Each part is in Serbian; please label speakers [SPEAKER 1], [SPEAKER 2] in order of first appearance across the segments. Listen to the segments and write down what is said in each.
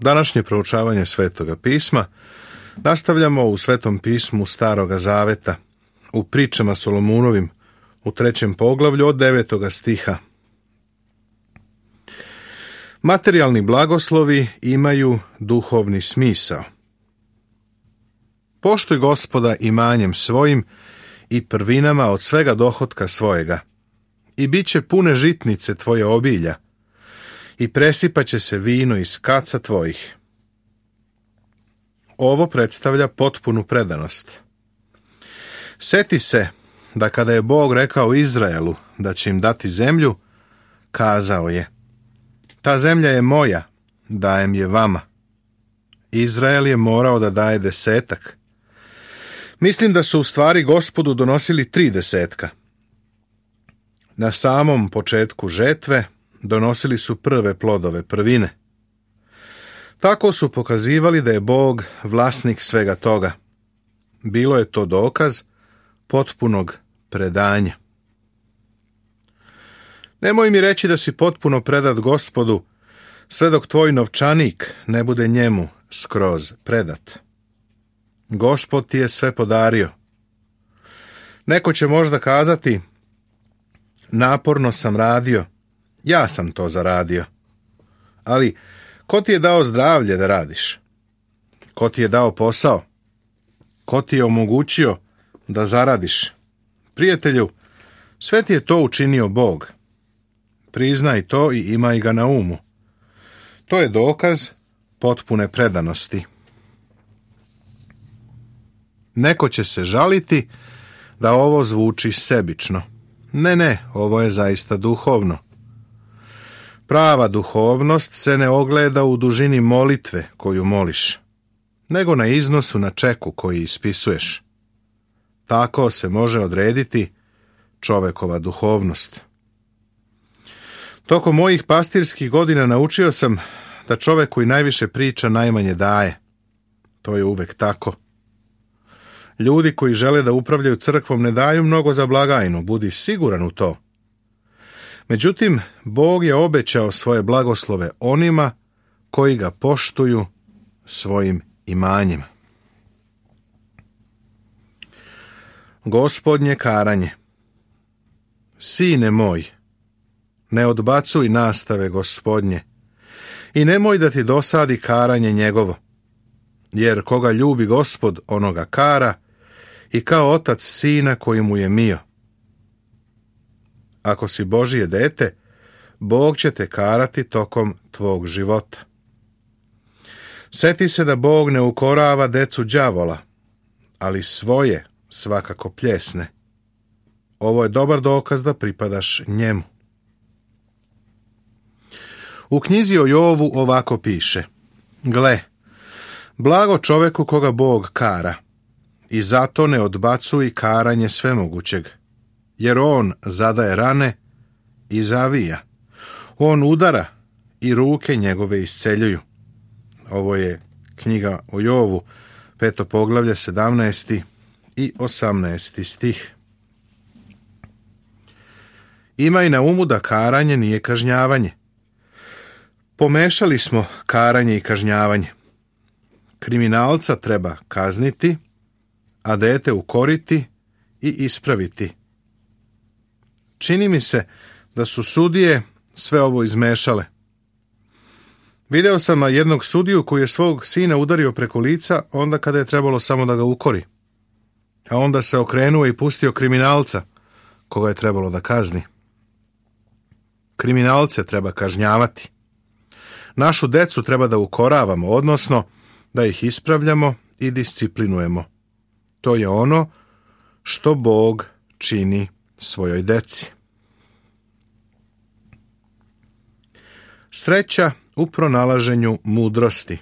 [SPEAKER 1] Današnje proučavanje Svetoga pisma nastavljamo u Svetom pismu Staroga Zaveta, u pričama Solomunovim, u 3. poglavlju od 9. stiha. Materijalni blagoslovi imaju duhovni smisao. Poštuj Gospoda imanjem svojim i prvinama od svega dohotka svojega, i bit će pune žitnice tvoje obilja, i presipaće se vino iz kaca tvojih. Ovo predstavlja potpunu predanost. Seti se da kada je Bog rekao Izraelu da će im dati zemlju, kazao je: ta zemlja je moja, dajem je vama. Izrael je morao da daje 10. Mislim da su u stvari Gospodu donosili 3 desetka. Na samom početku žetve donosili su prve plodove, prvine. Tako su pokazivali da je Bog vlasnik svega toga. Bilo je to dokaz potpunog predanja. Nemoj mi reći da si potpuno predat Gospodu, sve dok tvoj novčanik ne bude njemu skroz predat. Gospod ti je sve podario. Neko će možda kazati: naporno sam radio, ja sam to zaradio. Ali ko ti je dao zdravlje da radiš? Ko ti je dao posao? Ko ti je omogućio da zaradiš? Prijatelju, sve ti je to učinio Bog. Priznaj to i imaj ga na umu. To je dokaz potpune predanosti. Neko će se žaliti da ovo zvuči sebično. Ne, ovo je zaista duhovno. Prava duhovnost se ne ogleda u dužini molitve koju moliš, nego na iznosu na čeku koji ispisuješ. Tako se može odrediti čovekova duhovnost. Tokom mojih pastirskih godina naučio sam da čovek koji najviše priča najmanje daje. To je uvek tako. Ljudi koji žele da upravljaju crkvom ne daju mnogo za blagajnu, budi siguran u to. Međutim, Bog je obećao svoje blagoslove onima koji ga poštuju svojim imanjima. Gospodnje karanje. Sine moj, ne odbacuj nastave Gospodnje i nemoj da ti dosadi karanje njegovo, jer koga ljubi Gospod, onoga kara, i kao otac sina koji mu je mio. Ako si Božije dete, Bog će te karati tokom tvog života. Seti se da Bog ne ukorava decu đavola, ali svoje svakako pljesne. Ovo je dobar dokaz da pripadaš njemu. U knjizi o Jovu ovako piše: gle, blago čoveku koga Bog kara, i zato ne odbacuj karanje svemogućeg, jer on zadaje rane i zavija. On udara i ruke njegove isceljuju. Ovo je knjiga o Jovu, 5. poglavlje, 17. i 18. stih. Imaj na umu da karanje nije kažnjavanje. Pomešali smo karanje i kažnjavanje. Kriminalca treba kazniti, a dete ukoriti i ispraviti. Čini mi se da su sudije sve ovo izmešale. Video sam jednog sudiju koji je svog sina udario preko lica onda kada je trebalo samo da ga ukori. A onda se okrenuo i pustio kriminalca koga je trebalo da kazni. Kriminalce treba kažnjavati. Našu decu treba da ukoravamo, odnosno da ih ispravljamo i disciplinujemo. To je ono što Bog čini svojoj deci. Sreća u pronalaženju mudrosti.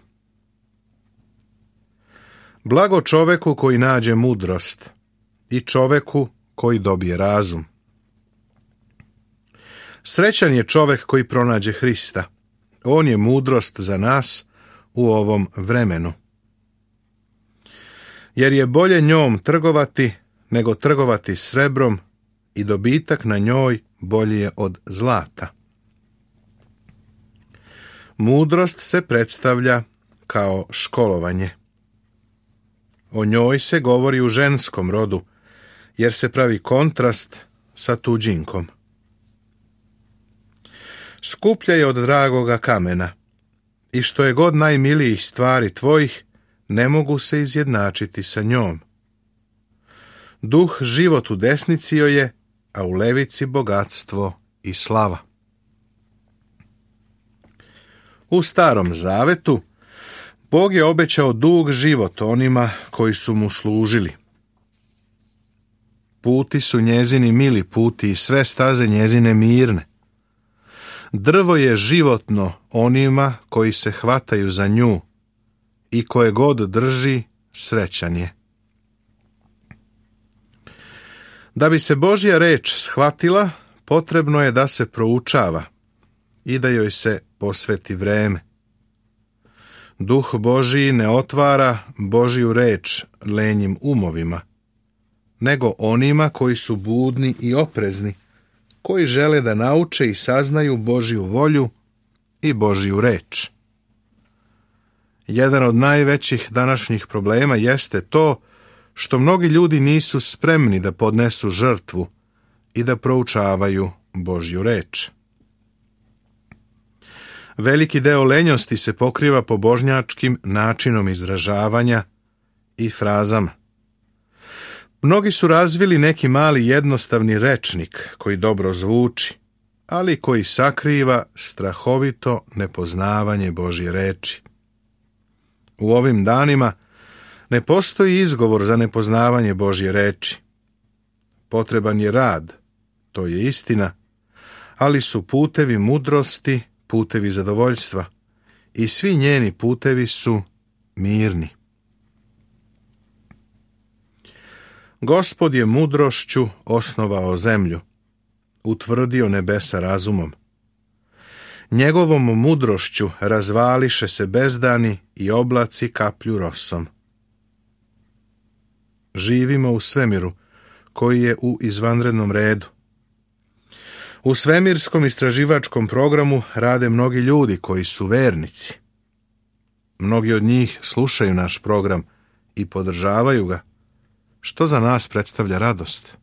[SPEAKER 1] Blago čoveku koji nađe mudrost i čoveku koji dobije razum. Srećan je čovek koji pronađe Hrista. On je mudrost za nas u ovom vremenu. Jer je bolje njom trgovati nego trgovati srebrom i dobitak na njoj bolji je od zlata. Mudrost se predstavlja kao školovanje. O njoj se govori u ženskom rodu, jer se pravi kontrast sa tuđinkom. Skuplja je od dragoga kamena, i što je god najmilijih stvari tvojih, ne mogu se izjednačiti sa njom. Duh život u desnici joj je, a u levici bogatstvo i slava. U Starom Zavetu Bog je obećao dug život onima koji su mu služili. Puti su njezini mili puti i sve staze njezine mirne. Drvo je životno onima koji se hvataju za nju i koje god drži, srećan je. Da bi se Božja reč shvatila, potrebno je da se proučava i da joj se posveti vreme. Duh Božji ne otvara Božju reč lenjim umovima, nego onima koji su budni i oprezni, koji žele da nauče i saznaju Božju volju i Božju reč. Jedan od najvećih današnjih problema jeste to što mnogi ljudi nisu spremni da podnesu žrtvu i da proučavaju Božju reč. Veliki deo lenjosti se pokriva pobožnjačkim načinom izražavanja i frazama. Mnogi su razvili neki mali jednostavni rečnik koji dobro zvuči, ali koji sakriva strahovito nepoznavanje Božje reči. U ovim danima ne postoji izgovor za nepoznavanje Božje reči. Potreban je rad, to je istina, ali su putevi mudrosti putevi zadovoljstva i svi njeni putevi su mirni. Gospod je mudrošću osnovao zemlju, utvrdio nebesa razumom. Njegovom mudrošću razvališe se bezdani i oblaci kaplju rosom. Živimo u svemiru koji je u izvanrednom redu. U svemirskom istraživačkom programu rade mnogi ljudi koji su vernici. Mnogi od njih slušaju naš program i podržavaju ga, što za nas predstavlja radost.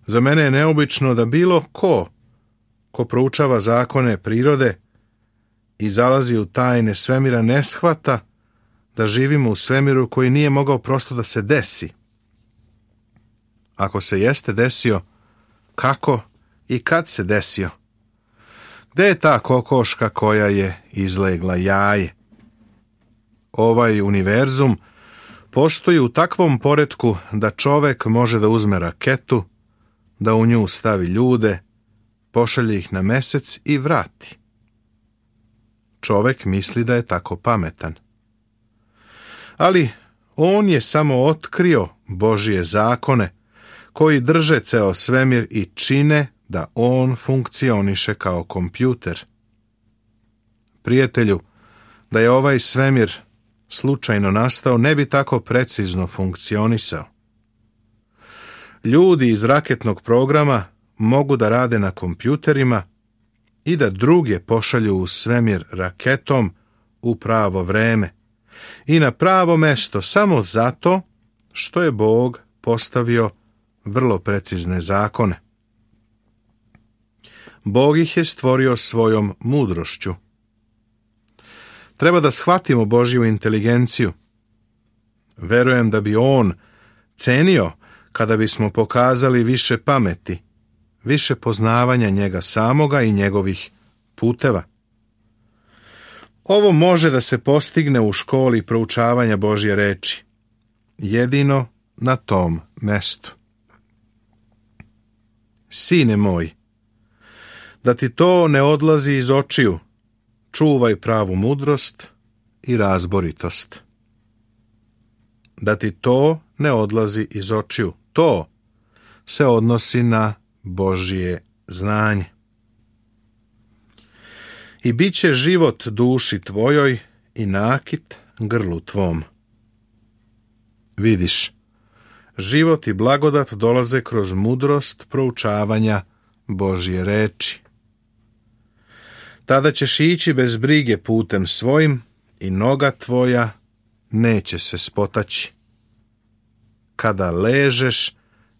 [SPEAKER 1] Za mene je neobično da bilo ko proučava zakone prirode i zalazi u tajne svemira ne shvata da živimo u svemiru koji nije mogao prosto da se desi. Ako se jeste desio, kako i kad se desio? Gde je ta kokoška koja je izlegla jaje? Ovaj univerzum postoji u takvom poretku da čovek može da uzme raketu, da u nju stavi ljude, pošalje ih na mesec i vrati. Čovek misli da je tako pametan. Ali on je samo otkrio Božje zakone koji drže ceo svemir i čine da on funkcioniše kao kompjuter. Prijatelju, da je ovaj svemir slučajno nastao, ne bi tako precizno funkcionisao. Ljudi iz raketnog programa mogu da rade na kompjuterima i da druge pošalju u svemir raketom u pravo vreme i na pravo mesto samo zato što je Bog postavio vrlo precizne zakone. Bog ih je stvorio svojom mudrošću. Treba da shvatimo Božju inteligenciju. Verujem da bi On cenio kada bismo pokazali više pameti, više poznavanja njega samoga i njegovih puteva. Ovo može da se postigne u školi proučavanja Božje reči, jedino na tom mestu. Sine moj, da ti to ne odlazi iz očiju, čuvaj pravu mudrost i razboritost. Da ti to ne odlazi iz očiju, to se odnosi na Božje znanje. I bit će život duši tvojoj i nakit grlu tvom. Vidiš, život i blagodat dolaze kroz mudrost proučavanja Božje reči. Tada ćeš ići bez brige putem svojim i noga tvoja neće se spotaći. Kada ležeš,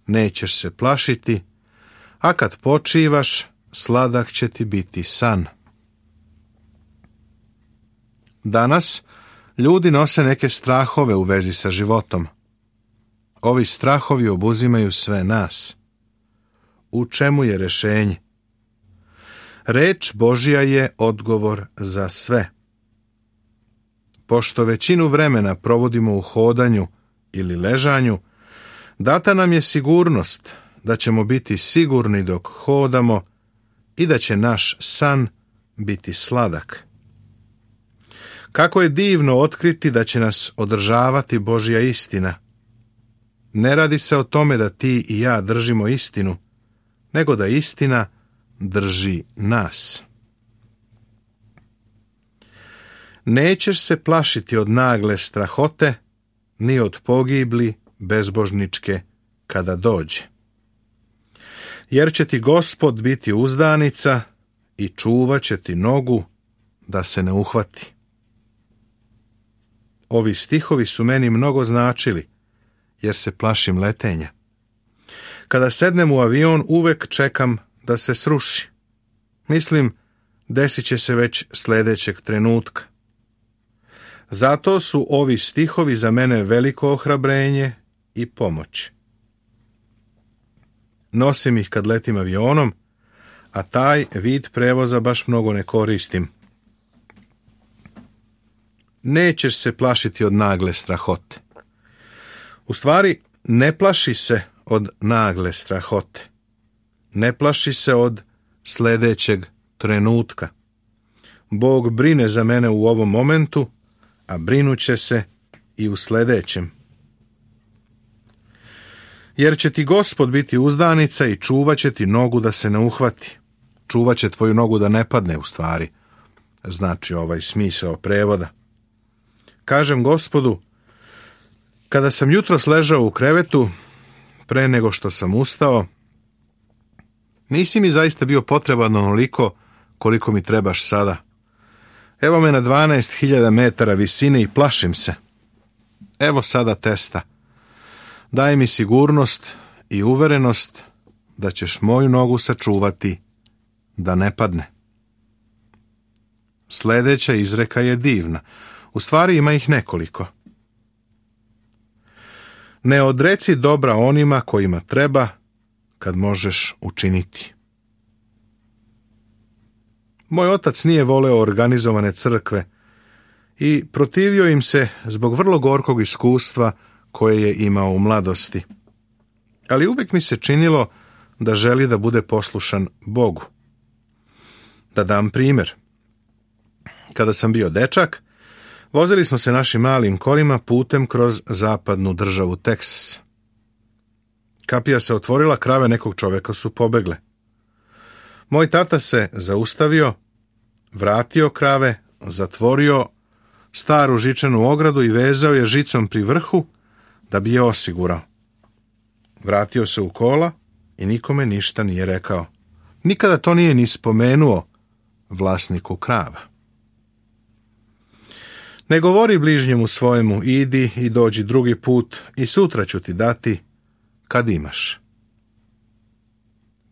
[SPEAKER 1] nećeš se plašiti, a kad počivaš, sladak će ti biti san. Danas ljudi nose neke strahove u vezi sa životom. Ovi strahovi obuzimaju sve nas. U čemu je rješenje? Reč Božja je odgovor za sve. Pošto većinu vremena provodimo u hodanju ili ležanju, data nam je sigurnost da ćemo biti sigurni dok hodamo i da će naš san biti sladak. Kako je divno otkriti da će nas održavati Božja istina. Ne radi se o tome da ti i ja držimo istinu, nego da istina drži nas. Nećeš se plašiti od nagle strahote, ni od pogibli bezbožničke kada dođe. Jer će ti Gospod biti uzdanica i čuvat će ti nogu da se ne uhvati. Ovi stihovi su meni mnogo značili, jer se plašim letenja. Kada sednem u avion, uvek čekam da se sruši. Mislim, desit će se već sljedećeg trenutka. Zato su ovi stihovi za mene veliko ohrabrenje i pomoć. Nosim ih kad letim avionom, a taj vid prevoza baš mnogo ne koristim. Nećeš se plašiti od nagle strahote. U stvari, ne plaši se od nagle strahote. Ne plaši se od sljedećeg trenutka. Bog brine za mene u ovom momentu, a brinuće se i u sljedećem. Jer će ti Gospod biti uzdanica i čuvat će ti nogu da se ne uhvati. Čuvat će tvoju nogu da ne padne, u stvari. Znači ovaj smisao prevoda. Kažem Gospodu, kada sam jutros ležao u krevetu, pre nego što sam ustao, nisi mi zaista bio potreban onoliko koliko mi trebaš sada. Evo me na 12.000 metara visine i plašim se. Evo sada testa. Daj mi sigurnost i uverenost da ćeš moju nogu sačuvati da ne padne. Sljedeća izreka je divna. U stvari ima ih nekoliko. Ne odreci dobra onima kojima treba kad možeš učiniti. Moj otac nije voleo organizovane crkve i protivio im se zbog vrlo gorkog iskustva koje je imao u mladosti. Ali uvijek mi se činilo da želi da bude poslušan Bogu. Da dam primjer. Kada sam bio dečak, vozili smo se našim malim kolima putem kroz zapadnu državu Teksas. Kapija se otvorila, krave nekog čovjeka su pobegle. Moj tata se zaustavio, vratio krave, zatvorio staru žičanu ogradu i vezao je žicom pri vrhu da bi je osigurao. Vratio se u kola i nikome ništa nije rekao. Nikada to nije ni spomenuo vlasniku krava. Ne govori bližnjemu svojemu, idi i dođi drugi put i sutra ću ti dati kad imaš.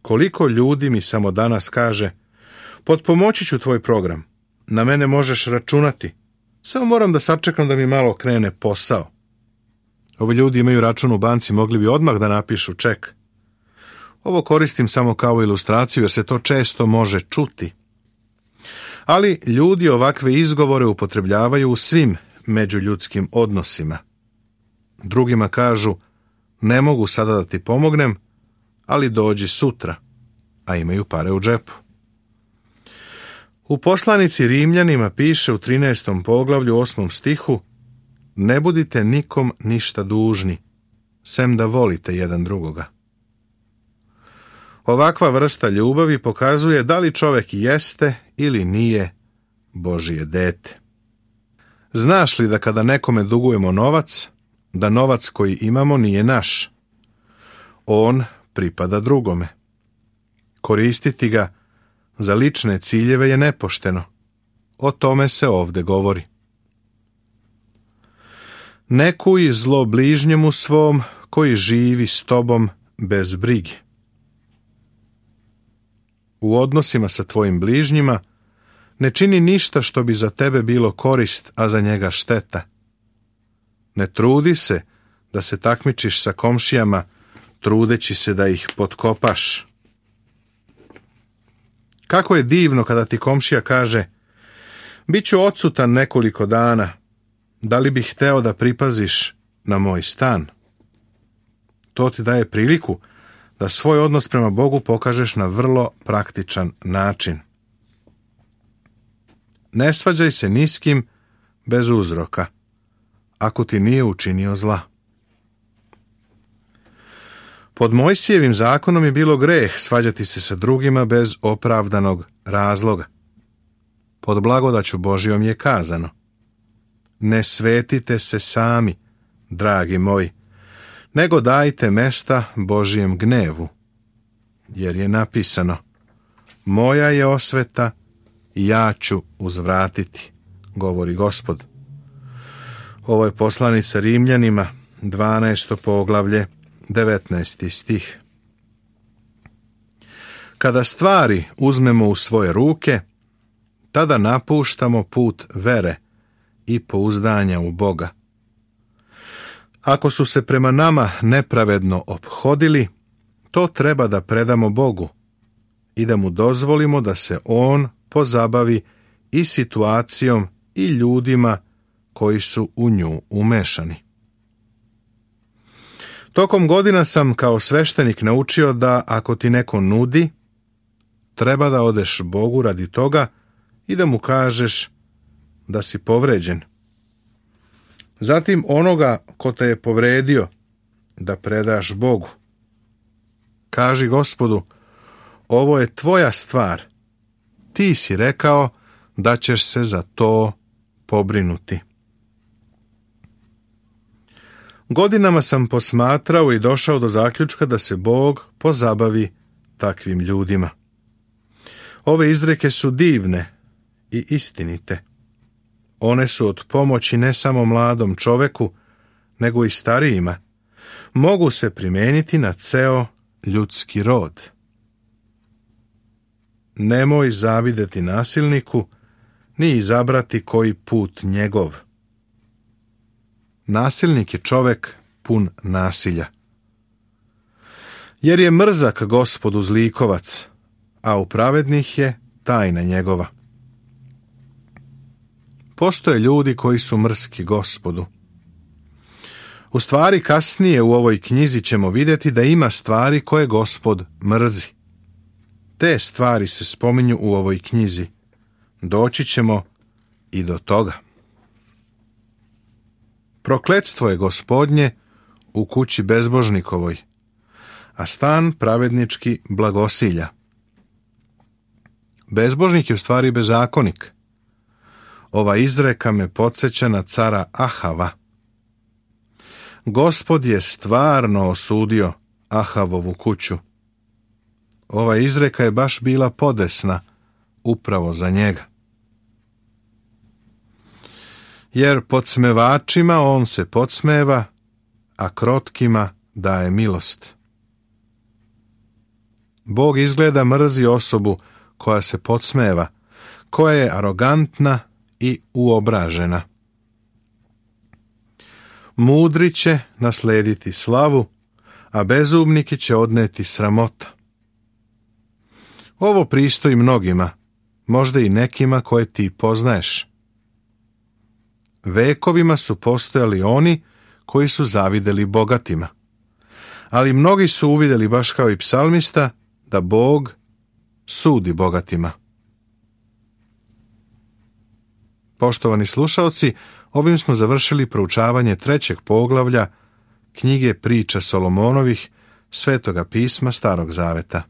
[SPEAKER 1] Koliko ljudi mi samo danas kaže, potpomoći ću tvoj program, na mene možeš računati, samo moram da sačekam da mi malo krene posao. Ovi ljudi imaju račun u banci, mogli bi odmah da napišu ček. Ovo koristim samo kao ilustraciju jer se to često može čuti. Ali ljudi ovakve izgovore upotrebljavaju u svim međuljudskim odnosima. Drugima kažu, ne mogu sada da ti pomognem, ali dođi sutra, a imaju pare u džepu. U poslanici Rimljanima piše u 13. poglavlju 8. stihu, ne budite nikom ništa dužni, sem da volite jedan drugoga. Ovakva vrsta ljubavi pokazuje da li čovjek jeste ili nije Božje dete. Znaš li da kada nekome dugujemo novac, da novac koji imamo nije naš? On pripada drugome. Koristiti ga za lične ciljeve je nepošteno. O tome se ovdje govori. Ne kuj zlo bližnjemu svom koji živi s tobom bez brige. U odnosima sa tvojim bližnjima ne čini ništa što bi za tebe bilo korist, a za njega šteta. Ne trudi se da se takmičiš sa komšijama, trudeći se da ih potkopaš. Kako je divno kada ti komšija kaže: bit ću odsutan nekoliko dana, da li bih hteo da pripaziš na moj stan? To ti daje priliku da svoj odnos prema Bogu pokažeš na vrlo praktičan način. Ne svađaj se ni s kim bez uzroka, ako ti nije učinio zla. Pod Mojsijevim zakonom je bilo greh svađati se sa drugima bez opravdanog razloga. Pod blagodaću Božijom je kazano: ne svetite se sami, dragi moji, nego dajte mesta Božijem gnevu, jer je napisano: moja je osveta i ja ću uzvratiti, govori Gospod. Ovo je poslanica Rimljanima, 12. poglavlje, 19. stih. Kada stvari uzmemo u svoje ruke, tada napuštamo put vere i pouzdanja u Boga. Ako su se prema nama nepravedno ophodili, to treba da predamo Bogu i da mu dozvolimo da se on pozabavi i situacijom i ljudima koji su u nju umešani. Tokom godina sam kao sveštenik naučio da ako ti neko nudi, treba da odeš Bogu radi toga i da mu kažeš da si povređen. Zatim onoga ko te je povredio da predaš Bogu. Kaži Gospodu: ovo je tvoja stvar. Ti si rekao da ćeš se za to pobrinuti. Godinama sam posmatrao i došao do zaključka da se Bog pozabavi takvim ljudima. Ove izreke su divne i istinite. One su od pomoći ne samo mladom čoveku, nego i starijima. Mogu se primijeniti na ceo ljudski rod. Nemoj zavideti nasilniku, ni izabrati koji put njegov. Nasilnik je čovek pun nasilja. Jer je mrzak Gospodu zlikovac, a u pravednih je tajna njegova. Postoje ljudi koji su mrski Gospodu. U stvari kasnije u ovoj knjizi ćemo vidjeti da ima stvari koje Gospod mrzi. Te stvari se spominju u ovoj knjizi. Doći ćemo i do toga. Prokletstvo je Gospodnje u kući bezbožnikovoj, a stan pravednički blagosilja. Bezbožnik je u stvari bezakonik. Ova izreka me podsjeća na cara Ahava. Gospod je stvarno osudio Ahavovu kuću. Ova izreka je baš bila podesna upravo za njega. Jer podsmevačima on se podsmeva, a krotkima daje milost. Bog izgleda mrzi osobu koja se podsmeva, koja je arogantna i uobražena. Mudri će naslediti slavu, a bezumniki će odneti sramota. Ovo pristoji mnogima, možda i nekima koje ti poznaješ. Vekovima su postojali oni koji su zavideli bogatima, ali mnogi su uvidjeli, baš kao i psalmista, da Bog sudi bogatima. Poštovani slušaoci, ovim smo završili proučavanje 3. poglavlja knjige Priča Solomonovih, Svetoga pisma Starog Zaveta.